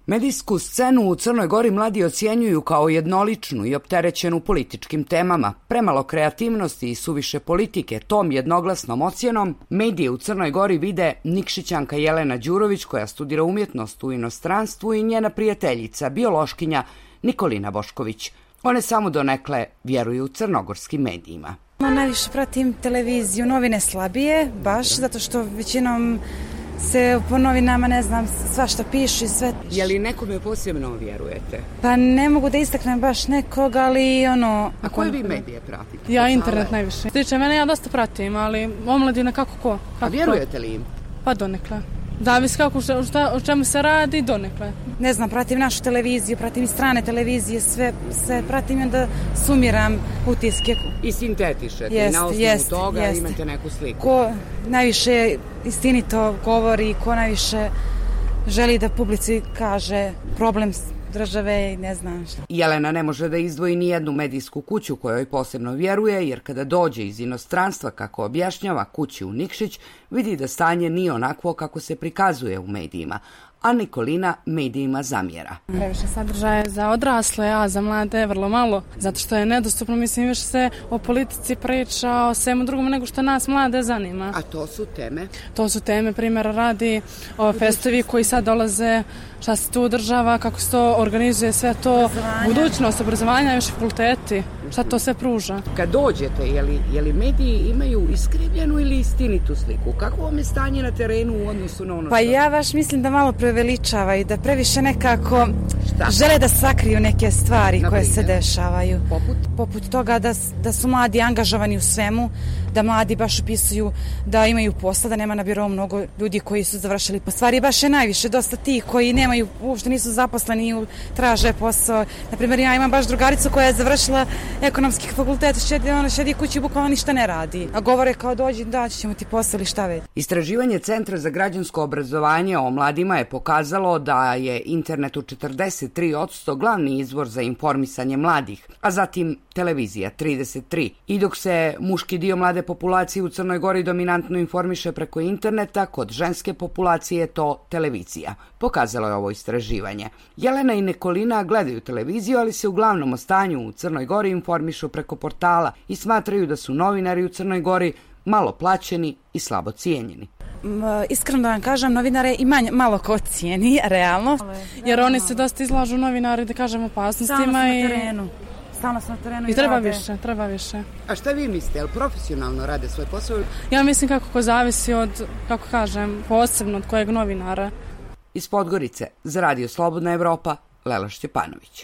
Medijsku scenu u Crnoj Gori mladi ocjenjuju kao jednoličnu i opterećenu političkim temama. Premalo kreativnosti i suviše politike, tom jednoglasnom ocjenom medije u Crnoj Gori vide Nikšićanka Jelena Đurović, koja studira umjetnost u inostranstvu, i njena prijateljica, biološkinja Nikolina Bošković. One samo donekle vjeruju crnogorskim medijima. Najviše pratim televiziju, novine slabije, baš zato što većinom se po novinama, ne znam, svašta pišu i sve. Je li nekome posebno vjerujete? Pa ne mogu da istaknem baš nekog, ali ono... A koje vi medije pratite? Ja internet najviše. Tiče mene, ja dosta pratim, ali omladina kako ko. A vjerujete li im? Pa donekle. Zavisi kako, o čemu se radi, donekle. Ne znam, pratim našu televiziju, pratim i strane televizije, sve pratim i onda sumiram utiske. I sintetišete, i na osnovu toga imate neku sliku. Ko najviše istinito govori, ko najviše želi da publici kaže problem države i ne znam šta. Jelena ne može da izdvoji ni jednu medijsku kuću kojoj posebno vjeruje, jer kada dođe iz inostranstva, kako objašnjava, kući u Nikšić, vidi da stanje nije onakvo kako se prikazuje u medijima, a Nikolina medijima zamjera. Previše sadržaje za odrasle, a za mlade vrlo malo, zato što je nedostupno, mislim, više se o politici priča, o svemu drugom nego što nas mlade zanima. A to su teme? To su teme, primjera radi, o festovi koji sad dolaze, šta se tu održava, kako se to organizuje, sve to, budućnost, obrazovanja, još fakulteti, šta to sve pruža. Kad dođete, je li mediji imaju iskrivljenu ili istinitu sliku? Kako vam je stanje na terenu u odnosu na ono što... Pa ja baš mislim da malo preveličava i da previše nekako žele da sakriju neke stvari koje se dešavaju. Poput toga da su mladi angažovani u svemu, da mladi baš upisuju da imaju posla, da nema na birovu mnogo ljudi koji su završili. Po stvari baš je najviše dosta tih koji nemaju, uopšte nisu zaposleni, traže posao. Naprimjer, ja imam baš drugaricu koja je završila ekonomski fakultet, ona šedi kući, bukvalno ništa ne radi. A govore kao dođi, daći ćemo ti posao ili šta već. Istraživanje Centra za građansko obrazovanje o mladima je pokazalo da je internet u 43% glavni izvor za informisanje mladih, a zatim televizija 33%. I dok se muški dio mlade populacije u Crnoj Gori dominantno informiše preko interneta, kod ženske populacije je to televizija. Pokazalo je ovo istraživanje. Jelena i Nikolina gledaju televiziju, ali se uglavnom o stanju u Crnoj Gori informišu preko portala i smatraju da su novinari u Crnoj Gori malo plaćeni i slabo cijenjeni. Iskreno da vam kažem, novinare i malo ko cijeni, realno. Jer oni se dosta izlažu, novinari, da kažem, opasnostima. Stalno su na terenu. I treba više. A šta vi mislite, jel profesionalno rade svoj posao? Ja mislim kako zavisi od, kako kažem, posebno od kojeg novinara. Iz Podgorice, za Radio Slobodna Evropa, Lela Šćepanović.